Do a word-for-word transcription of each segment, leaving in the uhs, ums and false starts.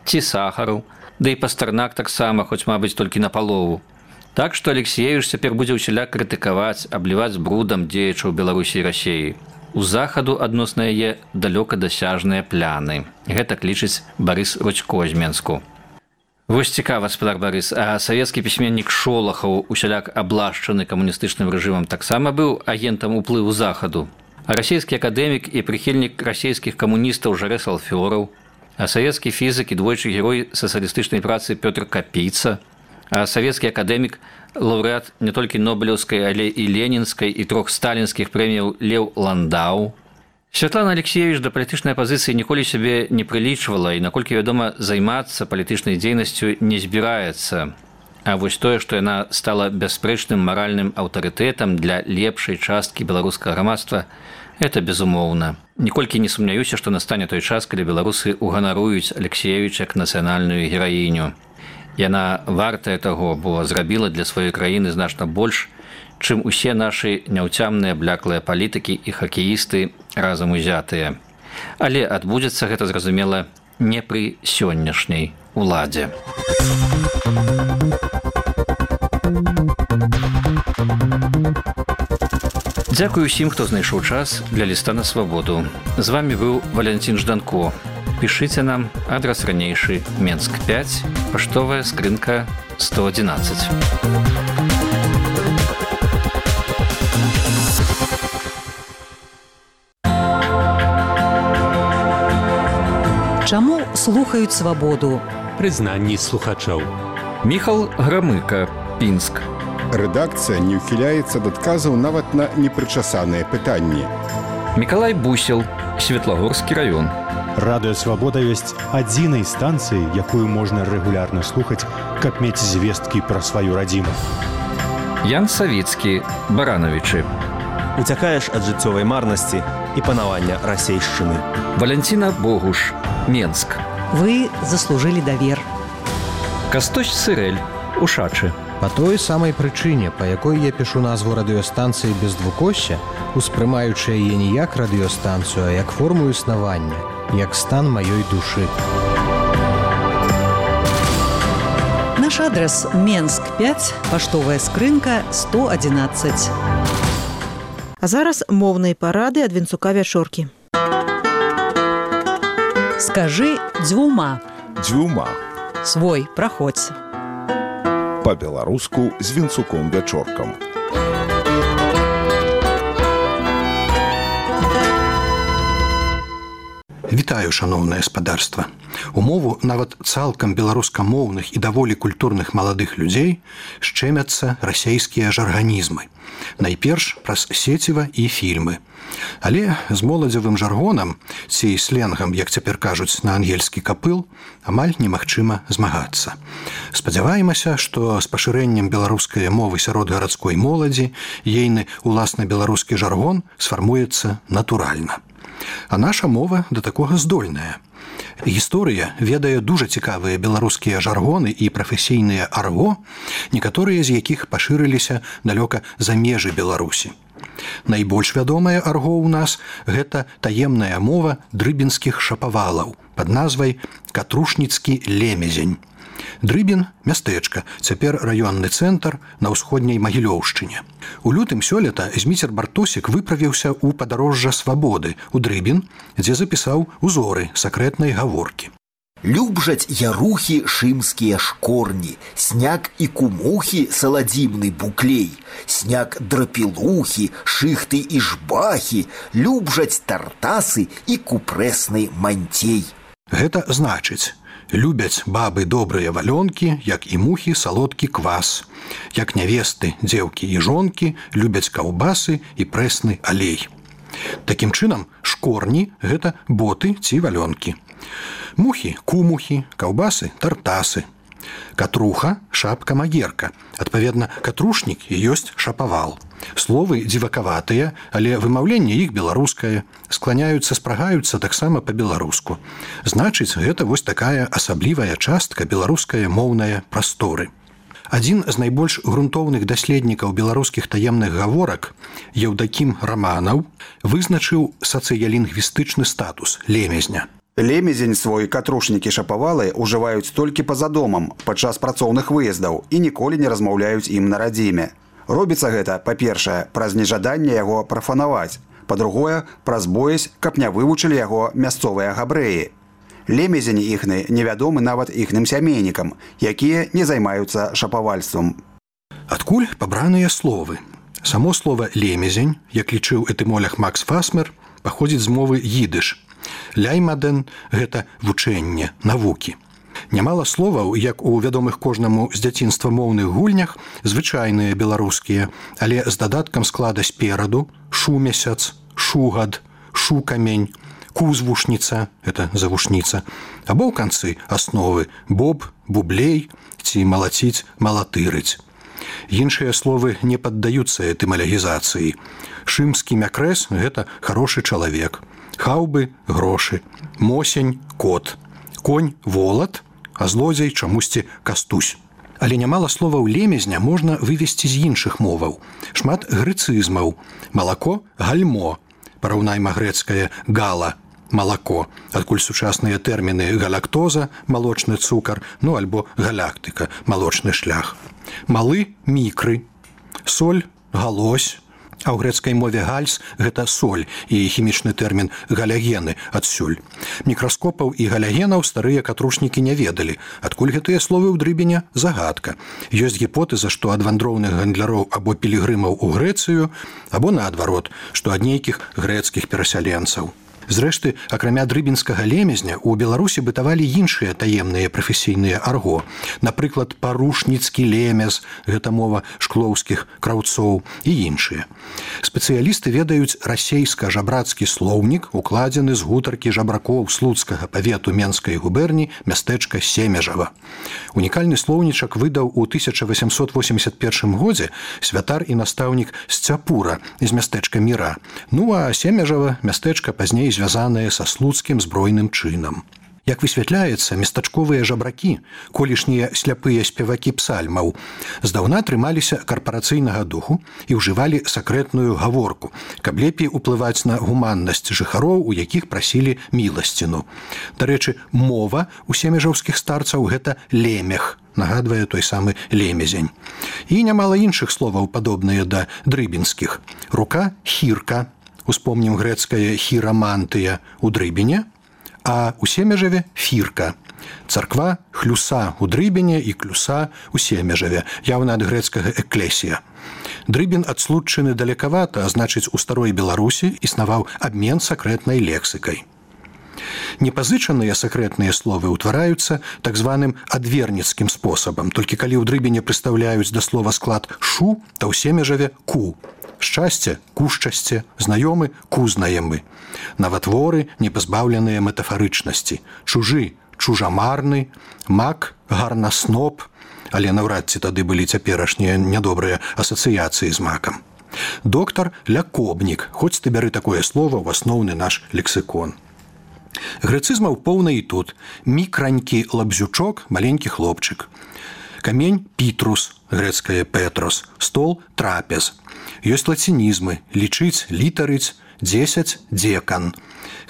ці сахару, ды і Пастарнак таксама, хоць, мабыць, толькі на палову. Так што Алексіевіч цяпер будзе ўсяляк крытыкаваць, абліваць брудам дзеячаў Беларусі і Расіі. У захаду адносна яе далёка дасяжныя пляны. Гэта лічыць Барыс Рудзько з Менску. Вось цікава, спадар Барыс, а савецкі пісьменнік Шолахаў, усяляк аблашчаны камуністычным рэжымам, таксама быў агентам уплыву захаду. А расійскі акадэмік і прыхільнік расійскіх камуністаў Жарэ Салфёраў, а савецкі фізік і двойчы герой сацыялістычнай працы Пётр Капіца, а савецкі акадэмік, лаўрэат не толькі Нобелеўскай, але і Ленінскай і трох сталінскіх прэміяў Леў Ландау. Святлана Алексіевіч да палітычнай апазіцыі ніколі сябе не прылічвала і, наколькі вядома, займацца палітычнай дзейнасцю не збіраецца. А вось тое, што яна стала бясспрэчным маральным аўтарытэтам для лепшай часткі беларускага грамадства, это безумоўна. Ніколькі не сумняюся, што настане той час, калі беларусы уганаруюць Алексіевіча як нацыянальную гераіню. Яна вартая таго, бо зрабіла для сваёй краіны значна больш, чым усе нашы няўцямныя бляклыя палітыкі і хакеісты разам узятыя. Але адбудзецца гэта, зразумела, не пры сённяшняй уладзе. Дзякую усім, хто знайшоў час для ліста на свабоду. З вамі быў Валянцін Жданко. Пішыце нам, адрас ранейшы, Менск пяць, паштовая скрынка сто адзінаццаць. Чаму слухаюць свабоду? Прызнанні слухачоў. Міхал Грамыка, Пінск. Рэдакцыя не ўхіляецца ад адказаў нават на непрычасаныя пытанні. Мікалай Бусел, Светлагорскі раён. Радыё Свабода ёсць адзінай станцыі, якую можна рэгулярна слухаць, каб мець звесткі пра сваю радзіму. Ян Савіцкі, Баранавічы. Уцякаеш ад жыццёвай марнасці і панавання расейшчыны. Валянціна Богуш, Менск. Вы заслужылі давер. Кастусь Сырэль, Ушачы. Па той самай прычыне, па якой я пішу назву радыёстанцыі без двукосся, успрымаючы яе не як радыёстанцыю, а як форму існавання, як стан маёй душы. Наш адрес Менск пяць, паштовая скрынка сто адзінаццаць. А зараз моўныя парады ад Вінцука Вячоркі. Скажы дзвюма. Дзвюма. Свой, праходзь. Па-беларуску з Вінцуком Вячоркам. Вітаю, шаноўнае спадарства. У мову нават цалкам беларускамоўных і даволі культурных маладых людзей шчэмяцца расейскія жарганізмы. Найперш праз сеціва і фільмы. Але з моладзевым жаргонам, ці сленгам, як цяпер кажуць на ангельскі капыл, амаль немагчыма змагацца. Спадзяваемся, што з пашырэннем беларускай мовы сярод гарадской моладзі ейны уласна беларускі жаргон сфармуецца натуральна. А наша мова да такога здольная. Гісторыя ведае дужа цікавыя беларускія жаргоны і прафесійныя арго, некаторыя з якіх пашырыліся далёка за межы Беларусі. Найбольш вядомае арго ў нас – гэта таемная мова дрыбінскіх шапавалаў пад назвай Катрушніцкі лемезень. Дрыбін – мястэчка, цяпер раённы цэнтр на ўсходняй Магілёўшчыне. У лютым сёлета Зміцер Бартосік выправіўся ў падарожжа свабоды ў Дрыбін, дзе запісаў узоры сакрэтнай гаворкі. Любжаць ярухі шымскія шкорні, сняг і кумухі саладзімны буклей, сняг драпілухі, шыхты і жбахі, любжаць тартасы і купрэсны мантей. Гэта значыць, любяць бабы добрыя валёнкі, як і мухі салодкі квас, як нявесты, дзеўкі і жонкі любяць каўбасы і прэсны алей. Такім чынам, шкорні – гэта боты ці валёнкі. Мухі – кумухі, каўбасы – тартасы. Катруха – шапка-магерка. Адпаведна, катрушнік і ёсць шапавал. Словы дзівакаватыя, але вымаўленне іх беларускае. Скланяюцца, спрагаюцца таксама па-беларуску. Значыць, гэта вось такая асаблівая частка беларускае моўнае прасторы. Адзін з найбольш грунтоўных даследнікаў беларускіх таемных гаворак, Еўдакім Раманаў, вызначыў сацыялінгвістычны статус лемезня. Лемезень свой катрушнікі шапавалы ўжываюць толькі па-за домам падчас працоўных выездаў і ніколі не размаўляюць ім на радзіме. Робіцца гэта, па-першае, праз нежаданне яго прафанаваць, па-другое, праз боязь, каб не вывучылі яго мясцовыя габрэі. Лемезень іхны невядомы нават іхным сямейнікам, якія не займаюцца шапавальствам. Адкуль пабраныя словы? Само слово «лемезень», як лічыў этымолог Макс Фасмер, паходзіць з мовы їдыш. Ляймаден – гэта вучэнне, навукі. Нямала словаў, як у вядомых кожнаму з дзяцінства моўных гульнях, звычайныя беларускія, але з дадаткам склада спераду шумесяц, шугад, шукамень, кузвушніца – гэта завушніца, або ў канцы асновы боб, бублей ці малаціць, малатырыць. Іншыя словы не паддаюцца этымалогізацыі. Шымскі мякрэс – гэта хорошы чалавек. Хаўбы – грошы. Мосень – кот. Конь – волат, а злодзей чамусьці кастусь. Але нямала словаў лемезня можна вывесці з іншых моваў. Шмат грэцызмаў. Малако – гальмо. Параўнайма грэцкае гала – малако, адкуль сучасныя тэрміны галактоза – малочны цукар, ну альбо галактыка – малочны шлях. Малы – мікры. Соль – галось. А ў грэцкай мове гальс – гэта соль і хімічны тэрмін галягены адсюль. Мікраскопаў і галягенаў старыя катрушнікі не ведалі. Адкуль гэтыя словы ў дрыбеня – загадка. Ёсць гіпотэза, што ад вандроўных гандляроў або пілігрымаў у Грэцыю, або наадварот, што ад нейкіх грэцкіх перасяленцаў. Зрэшты, акрамя дрыбінскага лемезня, у Беларусі бытавалі іншыя таемныя прафесійныя арго. Напрыклад, парушніцкі лемез, гэта мова шклоўскіх краўцоў і іншыя. Спецыялісты ведаюць расейска-жабрацкі слоўнік, укладзены з гутаркі жабракоў слуцкага павету Менскай губерні мястэчка Семежава. Унікальны слоўнічак выдаў у тысяча васямсот восемьдесят першым годзе святар і настаўнік Сцяпура з мястэчка Міра. Ну а Семежава мястэчка пазней звязаныя са слуцкім збройным чынам. Як высвятляецца, местачковыя жабракі, колішнія сляпыя спевакі псальмаў, здаўна трымаліся карпарацыйнага духу і ўжывалі сакрэтную гаворку, каб лепей уплываць на гуманнасць жыхароў, у якіх прасілі міласціну. Дарэчы, мова у семежаўскіх старцаў – гэта лемех, нагадвае той самы лемезень. І нямала іншых словаў, падобныя да дрыбінскіх. Рука – хірка. Успомнім грэцкае хірамантыя у дрыбене, а у Семежаве – фірка. Царква – хлюса у дрыбене і клюса у Семежаве, яўна ад грэцкага эклесія. Дрыбін ад случчыны далекавата, а значыць, у старой Беларусі існаваў абмен сакрэтнай лексікай. Непазычаныя сакрэтныя словы ўтвараюцца так званым адверніцкім спосабам, толькі калі ў дрыбене прыстаўляюць да слова склад «шу», то ў Семежаве – «ку». Шчасце – кушчасце, знаёмы – кузнаемы. Наватворы – непазбаўленыя метафарычнасці. Чужы – чужамарны, мак – гарнасноп, але наўрад ці тады былі цяперашнія нядобрыя асацыяцыі з макам. Доктар – лякобнік, хоць ты бяры такое слово ў асноўны наш лексікон. Грэцызмаў поўна і тут. Мікранькі лабзючок – маленькі хлопчык. Камень – пітрус, грэцкае петрос, стол – трапез. Ёсць лацінізмы – лічыць, літарыць, дзесяць – дзекан.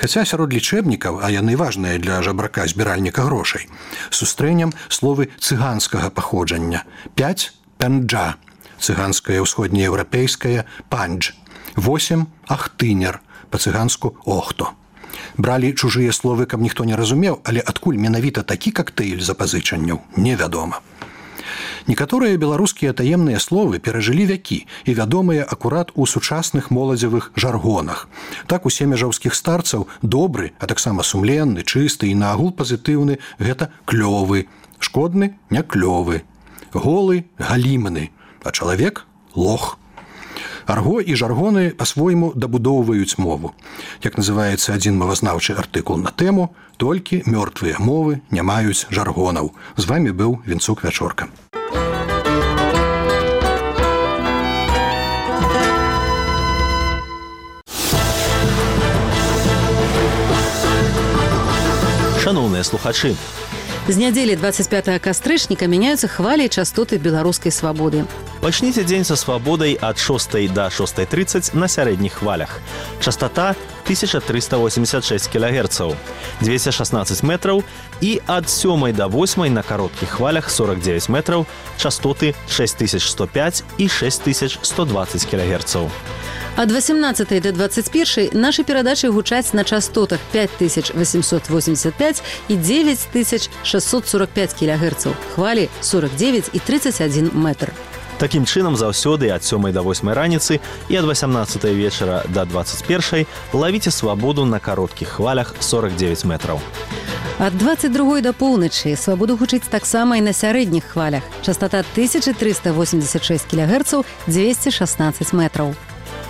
Хаця сярод лічэбнікаў, а яны важныя для жабрака-збіральніка грошай, сустрэнем словы цыганскага паходжання. Пяць – пянджа, цыганскае ўсходнееўрапейскае пандж. Восем – ахтынер, па-цыганску охто. Бралі чужыя словы, каб ніхто не разумеў, але адкуль менавіта такі кактэйль запазычанняў, невядома. Некаторыя беларускія таемныя словы перажылі вякі і вядомыя акурат у сучасных моладзевых жаргонах. Так у семежаўскіх старцаў добры, а таксама сумленны, чысты і наагул пазітыўны – гэта клёвы, шкодны – не клёвы, голы – галімны, а чалавек – лох. Арго і жаргоны па-свойму дабудоўваюць мову. Як называецца адзін мовазнаўчы артыкул на тэму, толькі мёртвыя мовы не маюць жаргонаў. З вамі быў Вінцук Вячорка. Шаноўныя слухачы, З нядзелі двадцать пятого кастрычніка мяняюцца хвалі і частоты беларускай свабоды. Пачніце дзень са свабодай ад шостай да шостай трыццаць на сярэдніх хвалях. Частота тысяча триста восемьдесят шесть килогерцаў, двести шестнадцать метраў, і ад сёмай да восьмай на кароткіх хвалях сорок девять метраў, частоты шесть тысяч сто пять і шесть тысяч сто двадцать килогерцаў. Ад восемнадцатай да двадцать першай нашы перадачы гучаць на частотах пять тысяч восемьсот восемьдесят пять і девять тысяч шестьсот сорок пять килогерцаў, хвалі сорок девять і тридцать один метр. Такім чынам заўсёды ад сёмай да восьмай раніцы і ад восемнадцатай вечара да двадцать першай лавіце свабоду на кароткіх хвалях сорок девять метраў. Ад двадцать другой да поўначы свабоду гучыць таксама і на сярэдніх хвалях. Частота тысяча триста восемьдесят шесть килогерцаў, двести шестнадцать метраў.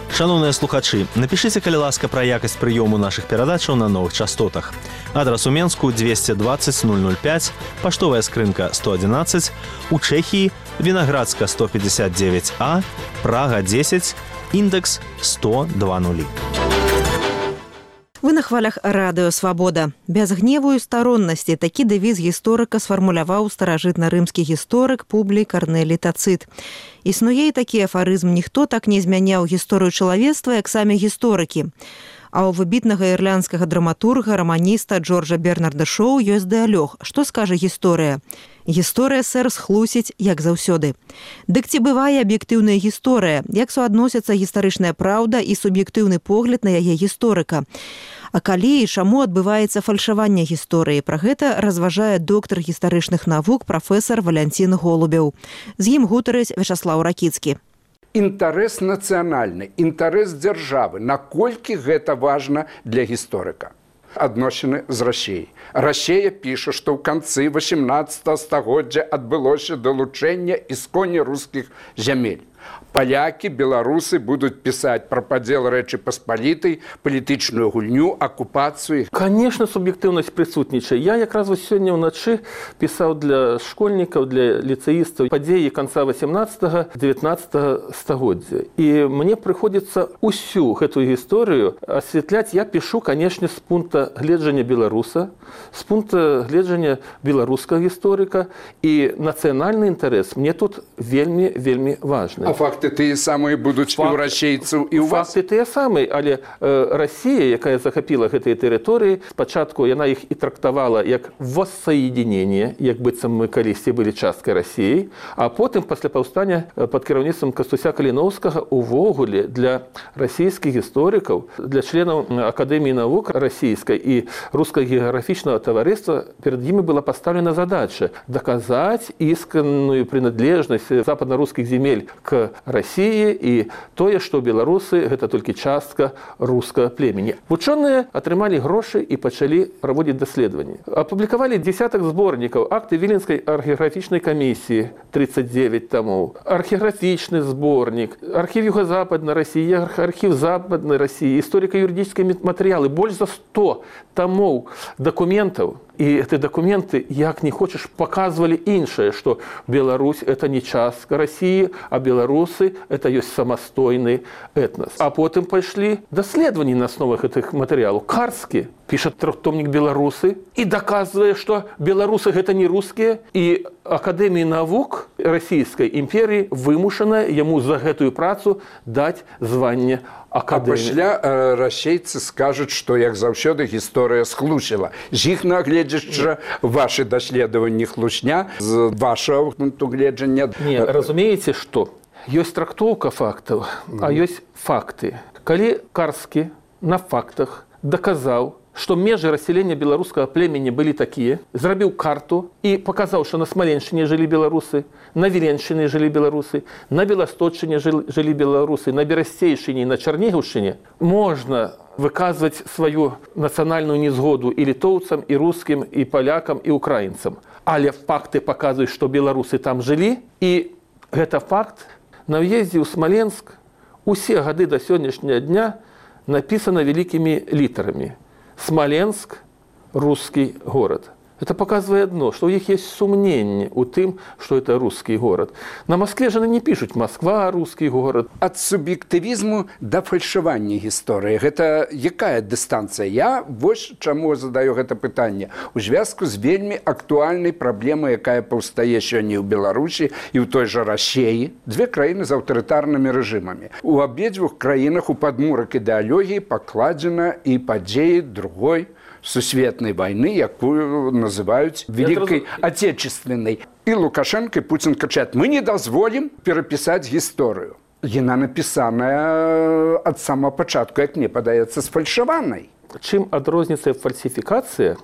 Шановныя слухачы, напішыце, калі ласка, пра якасць прыёму нашых перадачаў на новых частотах. Адрас у Менску двести двадцать ноль ноль пять, паштовая скрынка сто одиннадцать, у Чэхіі Вінаградска сто пятьдесят девять А, Прага десять, індекс сто два нулі. Вы на хвалях радыё «Свабода». Без гневу і староннасці такі дэвіз гісторыка сфармуляваў старажытна-рымскі гісторык Публій Карнелій Тацыт. Існуе і такі афарызм: ніхто так не змяняў гісторыю чалавецтва, як самі гісторыкі. А ў выбітнага ірландскага драматурга, раманіста Джорджа Бернарда Шоу ёсць дыалог. Што скажа гісторыя? Гісторыя, сэр, схлусіць, як заўсёды. Дык ці бывае аб'ектыўная гісторыя? Як суадносяцца гістарычная праўда і суб'ектыўны погляд на яе гісторыка? А калі і чаму адбываецца фальшаванне гісторыі? Пра гэта разважае доктар гістарычных навук прафесар Валянцін Голубеў. З ім гутарыць Вячаслаў Ракіцкі. Інтарэс нацыянальны, інтарэс дзяржавы. Наколькі гэта важна для гісторыка? Адносіны з Расіяй. Расія піша, што ў канцы восемнадцатага стагоддзя адбылося далучэнне ісконня рускіх зямель. Палякі, беларусы будуць пісаць пра падзел Рэчы Паспалітай, палітычную гульню, акупацыю. Конечно, суб'ектыўнасць прысутнічае. Я якраз вось сёння ўначы пісаў для школьнікаў, для ліцэістаў падзеі канца восемнадцатага девятнадцатага стагоддзя. І мне прыходзіцца ўсю гэтую гісторыю асвятляць. Я пішу, канешне, з пункта гледжання беларуса, з пункта гледжання беларускага гісторыка, і нацыянальны інтарэс мне тут вельмі, вельмі важны. А факты тыя самыя будуць і ў расейцаў, і ў вас? Факты тыя самыя, але э, Расія, якая захапіла гэтыя тэрыторыі, спачатку яна іх і трактавала як воссоединение, як быццам мы калісьці былі часткай Расіі, а потым пасля паўстання пад кіраўніцтвам Кастуся Каліноўскага увогуле для расійскіх гісторыкаў, для членаў Акадэміі навук расійскай і рускага геаграфічнага таварыства перад імі была пастаўлена задача даказаць ісканную прыналежнасць западна-рускіх земель к Расіі і тое, што беларусы гэта толькі частка рускага племені. Вучоныя атрымалі грошы і пачалі праводзіць даследаванні. Апублікавалі десятак зборнікаў, акты Віленскай археаграфічнай камісіі тридцать девять томоў, археаграфічны зборнік, архіў Юга-Западнай Расіі, архіў Западнай Расіі, гісторыка-юрыдычныя матэрыялы, больш за сто томоў дакументаў. І гэтыя дакументы, як не хочаш, паказвалі іншае, што Беларусь – это не частка Расіі, а беларусы – это ёсць самастойны этнас. А потым пайшлі даследаванні на асновах гэтых матэрыялаў. Карскі піша трохтомнік «Беларусы» і даказвае, што беларусы – гэта не рускія, і Акадэмія навук Расійскай імперіі вымушана яму за гэтую працу даць званне акадэміі. А пасля э, расейцы скажуць, што, як заўсёды, гісторыя схлусіла. З іх нагледзячы вашы даследаванні хлусня, з вашага пункту гледжання... Не, разумееце, што? Ёсць трактоўка фактаў, mm. а ёсць факты. Калі Карскі на фактах даказаў, што межы рассялення беларускага племені былі такія, зрабіў карту і паказаў, што на Смаленшчыне жылі беларусы, на Віленшчыне жылі беларусы, на Беласточчыне жылі беларусы, на Берасцейшчыне і на Чарнігаўшчыне, можна выказваць сваю нацыянальную незгоду і літоўцам, і рускім, і палякам, і украінцам. Але факты паказваюць, што беларусы там жылі, і гэта факт. На ўездзе ў Смаленск усе гады да сённяшняга дня напісана вялікімі літарамі. Смоленск – русский город. Это показывает одно, что у них есть сомнение у тем, что это русский город. На Москве же не пишут «Москва – русский город». От субъективизму до фальшивания истории. Это какая дистанция? Я вот чему задаю это питание. У зв'язку с вельми актуальной проблемой, якая повстає сьогодні в Беларуси и в той же России. Две краины с авторитарными режимами. У обеих краинах у подмурок идеологии покладено и подеи другой сусветной войны, якую называют Великой Отечественной. И Лукашенко, и Путин кричат: мы не дозволим переписать историю. Яна написаная от самого початку, як мне падаецца, сфальшаванай. Чым адрозніваецца фальсификация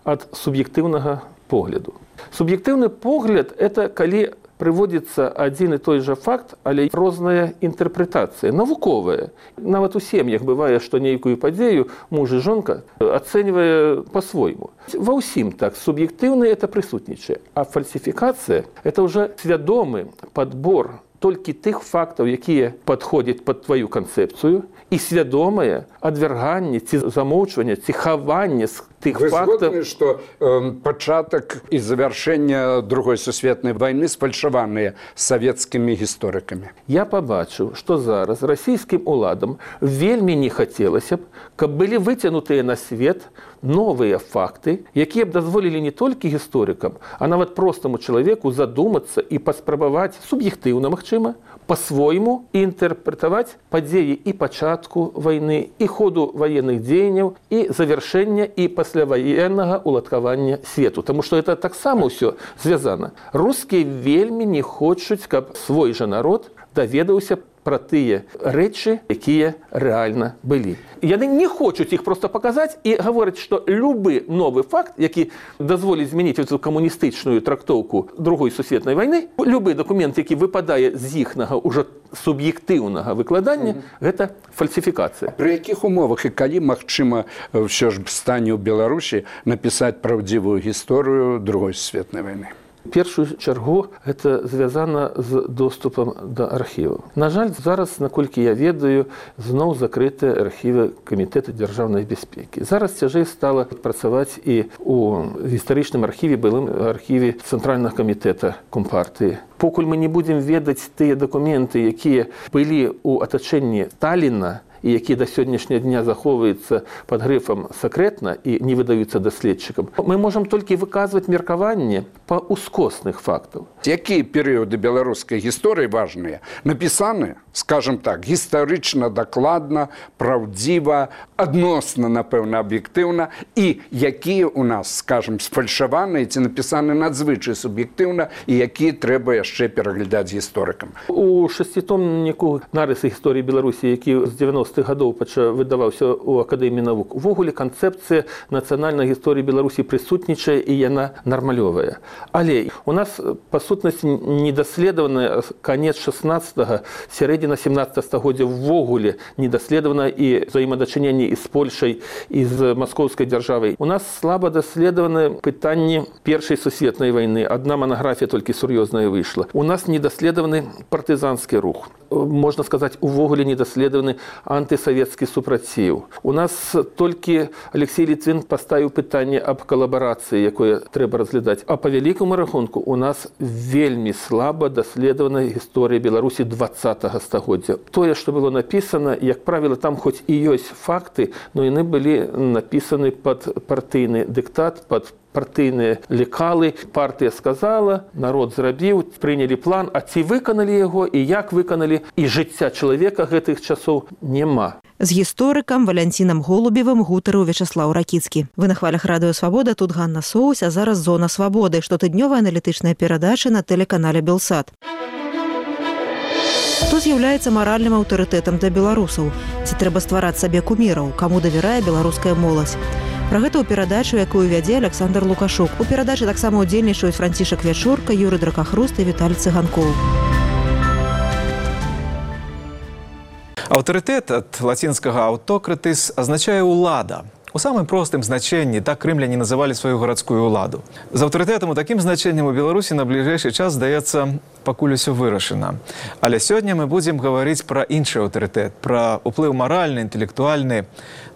от субъективного погляду? Субъективный погляд – это калі прыводится один и той же факт, але розная интерпретация, навуковая. Нават у сем'ях бывае, што нейкую падзею муж и жонка ацэньвае по-свойму. Ва ўсім так, субъективный это присутнічае, а фальсификация – это уже свядомы подбор толькі тых фактаў, якія падходзяць пад твою канцэпцыю, і свядомае адвярганне ці замоўчванне ці хаванне з тых Вы фактаў. згодны, што э, пачатак і завяршэнне другой сусветнай вайны сфальшаваныя савецкімі гісторыкамі? Я пабачыў, што зараз расійскім уладам вельмі не хацелася б, каб былі выцянутыя на свет новыя факты, якія б дазволілі не толькі гісторыкам, а нават простаму чалавеку задумацца і паспрабаваць суб'ектыўна, магчыма, по-свойму інтэрпрэтаваць падзеі і пачатку вайны, і ходу ваенных дзеянняў, і завяршэння і пасляваеннага уладкавання свету. Таму што это таксама ўсё звязана. Рускія вельмі не хочуць, каб свой жа народ даведаўся пра тыя рэчы, якія рэальна былі. Яны не хочуць іх проста паказаць і гавораць, што любы новы факт, які дазволіць змяніць эту камуністычную трактоўку другой сусветнай вайны, любы дакумент, які выпадае з іхнага ўжо суб'ектыўнага выкладання, mm-hmm. гэта фальсифікацыя. Пры якіх умовах і калі магчыма ўсё ж стане ў Беларусі напісаць праўдзівую гісторыю другой сусветнай вайны? В першую чаргу это звязана з доступам да архіваў. На жаль, зараз, наколькі я ведаю, зноў закрытыя архівы Камітэта дзяржаўнай бяспекі. Зараз цяжэй стала працаваць і у гістарычным архіве, былым архіве Цэнтральнага камітэта Компартыі. Покуль мы не будзем ведаць тыя дакументы, якія былі ў атачэнні Сталіна, і які да сённяшняга дня захоўваюцца пад грыфам сакрэтна і не выдаюцца даследчыкам, мы можам толькі выказваць меркаванне па ускосных фактаў. Якія перыяды беларускай гісторыі важныя? Напісаны, скажем так, гістарычна дакладна, праўдзіва, адносна, напэўна, аб'ектыўна, і якія у нас, скажем, сфальшаваныя ці напісаны надзвычай суб'ектыўна, і якія трэба яшчэ пераглядаць гісторыкам. У шасцітомніку нарысы гісторыі Беларусі, які з дзевяностых гадоў выдаваўся ў Акадэміі навук, увогуле канцэпцыя нацыянальнай гісторыі Беларусі прысутнічае і яна нармалёвая. Але у нас, па сутнасці, недаследаваная канец шаснаццатага, сярэдзіна сямнаццатага стагоддзя ўвогуле недаследавана і взаемадачыненні і з Польшай, і з маскоўскай дзяржавай. У нас слаба даследаваны пытанні першай сусветнай вайны. Адна манаграфія толькі сур'ёзная выйшла. У нас недаследаваны партызанскі рух. Можна сказаць, увогуле недаследаваны антысавецкі супраціў. У нас толькі Алексей Літвін паставіў пытанне аб калабарацыі, якое трэба разглядаць. А па вялікаму рахунку у нас вельмі слаба даследавана гісторыя Беларусі дваццатага стагоддзя. Тое, што было напісана, як правіла, там хоць і ёсць факты, но яны былі напісаны пад партыйны дыктат, пад партыйныя лекалы. Партыя сказала, народ зрабіў, прынялі план, а ці выканалі яго і як выканалі, і жыцця чалавека гэтых часоў няма. З гісторыкам Валянцінам Голубевым гутарыў Вячаслаў Ракіцкі. Вы на хвалях Радыё Свабода, тут Ганна Соусь, а зараз Зона Свабоды, штотыднёвая аналітычная перадача на тэлеканале Белсат. Хто з'яўляецца маральным аўтарытэтам для беларусаў? Ці трэба ствараць сабе куміраў? Каму давярае беларуская моладзь? Пра гэта ў перадачу, якую вядзе Александр Лукашук. У перадачы таксама ўдзельнічаюць Францішак Вячорка, Юрый Дракахруст і Віталій Цыганкоў. Аўтарытэт ад лацінскага «аўтократыс» азначае «улада». У самым простым значенні так крымляне называлі сваю гарадскую ўладу. З аўтарытэтам у такім значэннем у Беларусі на бліжэйшы час, здаецца, пакуль усё вырашана. Але сёння мы будзем гаварыць пра іншы аўтарытэт, пра ўплыў маральны, інтэлектуальны,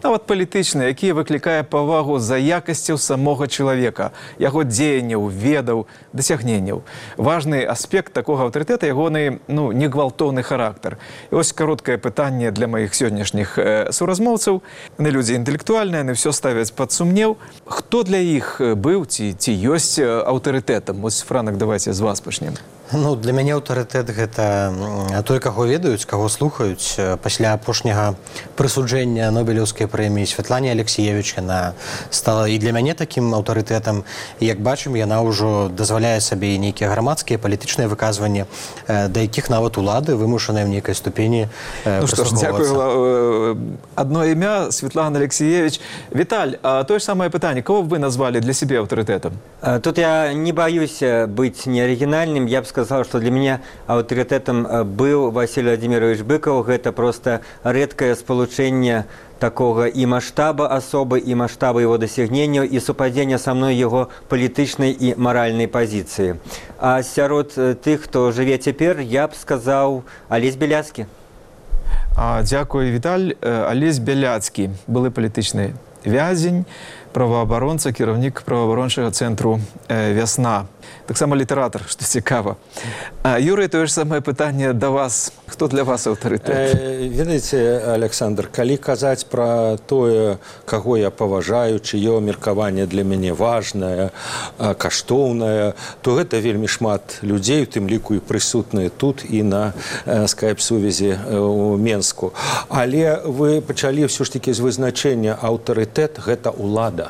нават палітычны, які выклікае павагу за якасцяў самога чалавека, яго дзеянняў, ведаў, дасягненняў. Важны аспект такога аўтарытэта ягоны, ну, негвалтоўны характар. І вось кароткае пытанне для маіх сённяшніх э, суразмоўцаў. Яны людзі інтэлектуальныя, яны ўсё ставяць пад сумнеў. Хто для іх быў ці, ці ёсць аўтарытэтам? Вось, Франак, давайте з вас пачнем. Ну, для мяне аўтарытэт гэта той, каго ведаюць, каго слухаюць. Пасля апошняга прысуджэння Нобелеўскай прэміі Святлане Алексіевіч яна стала і для мяне такім аўтарытэтам. І, як бачым, яна ўжо дазваляе сабе нейкія грамадскія палітычныя выказванні, да якіх нават улады вымушаныя в нейкай ступені прыслухоўвацца. Ну што ж, дзякую. Адно імя Святлана Алексіевіч. Віталь, а тое ж самае пытанне, кого б вы назвалі для сябе аўтарытэтам? Тут я не боюсь быць неарыгінальным. Я б сказал, что для меня авторитетом был Василий Владимирович Быков. Это просто редкое сполучение такого и масштаба особы, и масштаба его досягнения, и совпадения со мной его политичной и моральной позиции. А сярод тех, кто живет теперь, я бы сказал Олесь Беляцкий. А, дякую, Виталь. Олесь Беляцкий, былы політичний вязень, правоабаронца, кіраўнік праваабарончага цэнтру э, «Вясна». Таксама літаратар, што цікава. А, Юрый, тое ж самае пытанне да вас. Хто для вас аўтарытэт? Э, ведаеце, Александр, калі казаць пра тое, каго я паважаю, чыё меркаванне для мяне важнае, каштоўнае, то гэта вельмі шмат людзей, у тым ліку і прысутныя тут і на э, скайп-сувязі э, у Менску. Але вы пачалі ўсё ж такі з вызначэння аўтарытэт – гэта ўлада.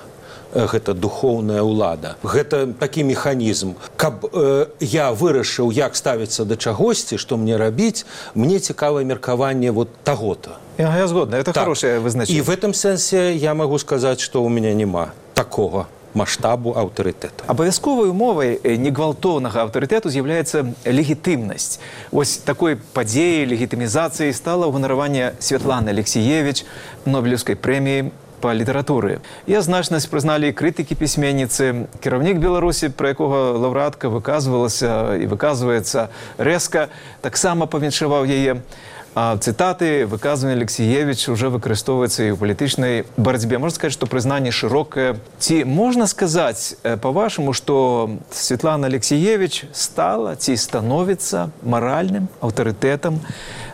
Гэта духоўная ўлада. Гэта такі механізм. Каб э, я вырашыў, як ставіцца да чагосьці, што мне рабіць, мне цікавае меркаванне вот таго-то. Я, я згодна, это так. Хорошее вызначение. І в этом сэнсе я магу сказаць, што ў мяне няма такога масштабу аўтарытэту. Абавязковай умовай негвалтоўнага аўтарытэту з'яўляецца легітымнасць. Вось такой падзеяй легітымізацыі стала ўганараванне Святланы Алексіевіч Нобелеўскай прэміі па літаратуры. Я значнасць прызналі крытыкі пісьменніцы. Кіраўнік Беларусі, пра якога лаўрэатка выказвалася і выказваецца рэзка, таксама павіншаваў яе. А цытаты, выказванне Алексіевіч уже выкарыстоўваецца і ў палітычнай барацьбе. Можна сказаць, што прызнанне шырокае. Ці можна сказаць, па-вашаму, што Святлана Алексіевіч стала ці становіцца маральным аўтарытэтам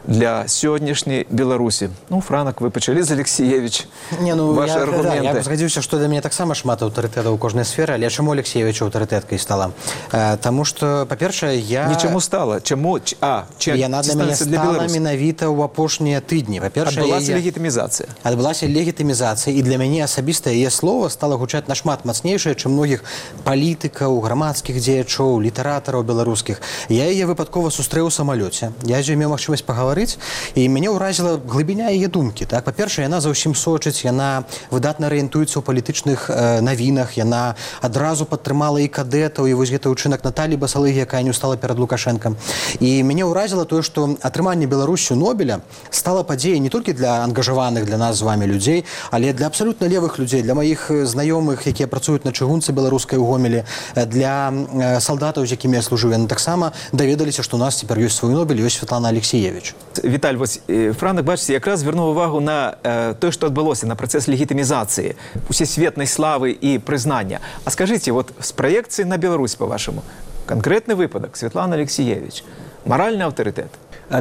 для сённяшняй Беларусі? Ну, Франак, вы пачалі з Алексіевіч. Не, ну, Ваши я, аргументы. Да, я б згадзіўся, што для мяне таксама шмат аўтарытэтаў у кожнай сферы, але чаму Алексіевіч аўтарытэткай стала? Э, таму што, па-першае, я... Не чаму стала? Чаму? А, чым? Яна для мяне стала менавіта ў апошнія тыдні. Па-першае, адбылася яе... легітымізацыя. Адбылася легітымізацыя, і для мяне асабіста яе слова стала гучаць нашмат мацнейшае, чым многіх палітыкаў, грамадскіх дзеячоў, літаратараў беларускіх. Я яе выпадкова сустрэў у самалёце. Я з ёй меў магчымасць пагаварыць, і мяне ўразіла глыбіня яе думкі. Так? Па-першае, яна заўсім сочыць, яна выдатна арыентуецца ў палітычных э, навінах, яна адразу падтрымала і кадэтаў, і вось гэты ўчынак Наталі Басалыгі, якая не ўстала перад Лукашэнкам. І мяне ўразіла тое, што атрыманне Беларусю Нобеля стала падзеяй не толькі для ангажаваных для нас з вами людзей, але для абсалютна левых людзей, для маіх знаёмых, якія працуюць на чыгунцы беларускай у Гомелі, для э, салдатаў, з якімі я служыў. Яны таксама даведаліся, што у нас цяпер ёсць свой Нобель, ёсць Святлана Алексіевіч. Віталь, вось Франак, бачыце, якраз звярнуў увагу на э, тое, што адбылося, на працэс легітымізацыі, усесветнай славы і прызнання. А скажыце, вот з праекцыі на Беларусь, па-вашаму, канкрэтны выпадак, Святлана Алексіевіч, маральны аўтарытэт?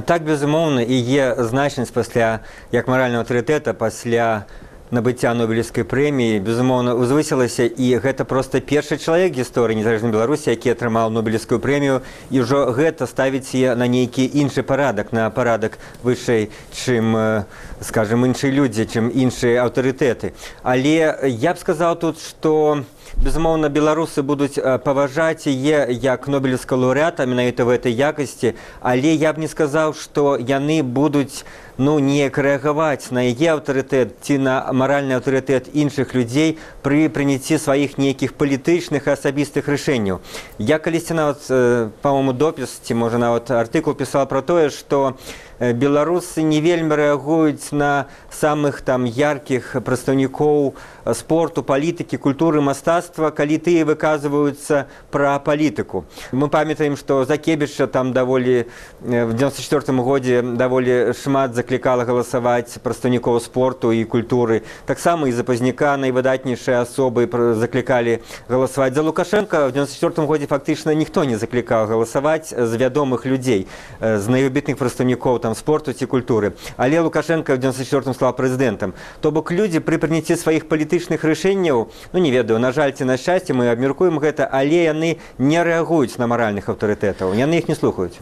Так, безумоўна, і є значнасць пасля, як маральнага аўтарытэта, пасля набыцця Нобелевскай прэміі, безумоўна, узвысілася, і гэта проста першы чалавек гісторыі незалежнай Беларусі, які атрымаў Нобелевскую прэмію, і ўжо гэта ставіць яе на нейкі іншы парадак, на парадак вышэй, чым, скажем, іншыя людзі, чым іншыя аўтарытэты. Але я б сказаў тут, што безумоўна, беларусы будуць паважаць яе як нобелевскага лаўрэата менавіта в этой якасці, але я б не сказаў, што яны будуць ну, неяк рэагаваць на яе аўтарытэт ці на маральны аўтарытэт іншых людзей пры прыняцці сваіх нейкіх палітычных і асабістых рашэнняў. Я калісьці нават, па-моему, допіс, ці можа нават артыкул пісаў пра тое, што беларусы не вельмі рэагуюць на самых там яркіх прадстаўнікоў спорту, палітыкі, культуры, мастацтва, калі тыя выказваюцца пра палітыку. Мы памятаем, што Закебіча там даволі в девяносто четвёртым годзе даволі шмат заклікала галасаваць прадстаўнікоў спорту і культуры. Таксама і за Пазняка найвыдатнейшыя асобы заклікалі галасаваць. За Лукашенко в девяносто четвёртым годзе фактычна ніхто не заклікаў галасаваць з вядомых людзей, з найвыбітных прадстаўнікоў там спорту ці культуры. Але Лукашенко в девяносто четвёртым стаў прэзідэнтам. То бок людзі пры прыняцці сваіх палітычных рашэнняў, ну не ведаю, на жаль ці на шчасце, мы абмяркуем гэта, але яны не рэагуюць на маральных аўтарытэтаў, яны іх не слухаюць.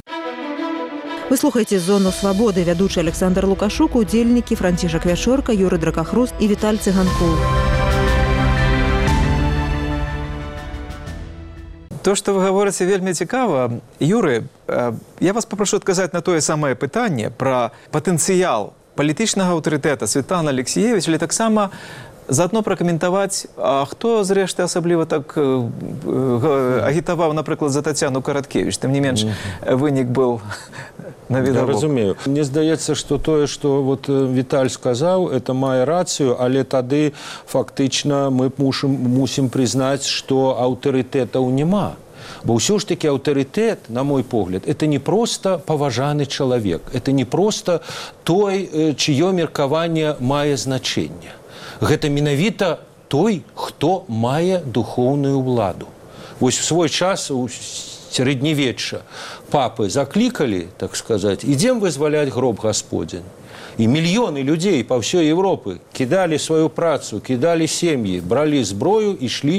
Вы слухаеце «Зону свабоды», вядучы Александр Лукашук, удзельнікі Францішак Вячорка, Юры Дракахруст і Віталь Цыганкоў. То, што вы гаворыце, вельмі цікава. Юры, я вас папрошу адказаць на тое самае пытанне пра патэнцыял палітычнага аўтарытэта Светланы Алексіевіч, але таксама заодно пракаментаваць, а хто, зрэшты, асабліва так агітаваў, напрыклад, за Тацяну Караткевіч. Тым не менш, вынік быў навідавок. Я разумею. Мне здаецца, што тое, што вот Віталь сказаў, это мае рацыю, але тады фактычна мы мусім, мусім прызнаць, што аўтарытэтаў няма. Бо ўсё ж таки аўтарытэт, на мой погляд, это не просто паважаны чалавек, это не просто той, чыё меркаванне мае значэнне. Гэта менавіта той, хто мае духоўную ўладу. Вось у свой час у сярэднявечча папы заклікалі, так сказаць, ідзем вызваляць гроб гасподзін. І мільёны людзей па ўсёй Европы кідалі сваю працу, кідалі сем'і, бралі зброю і ішлі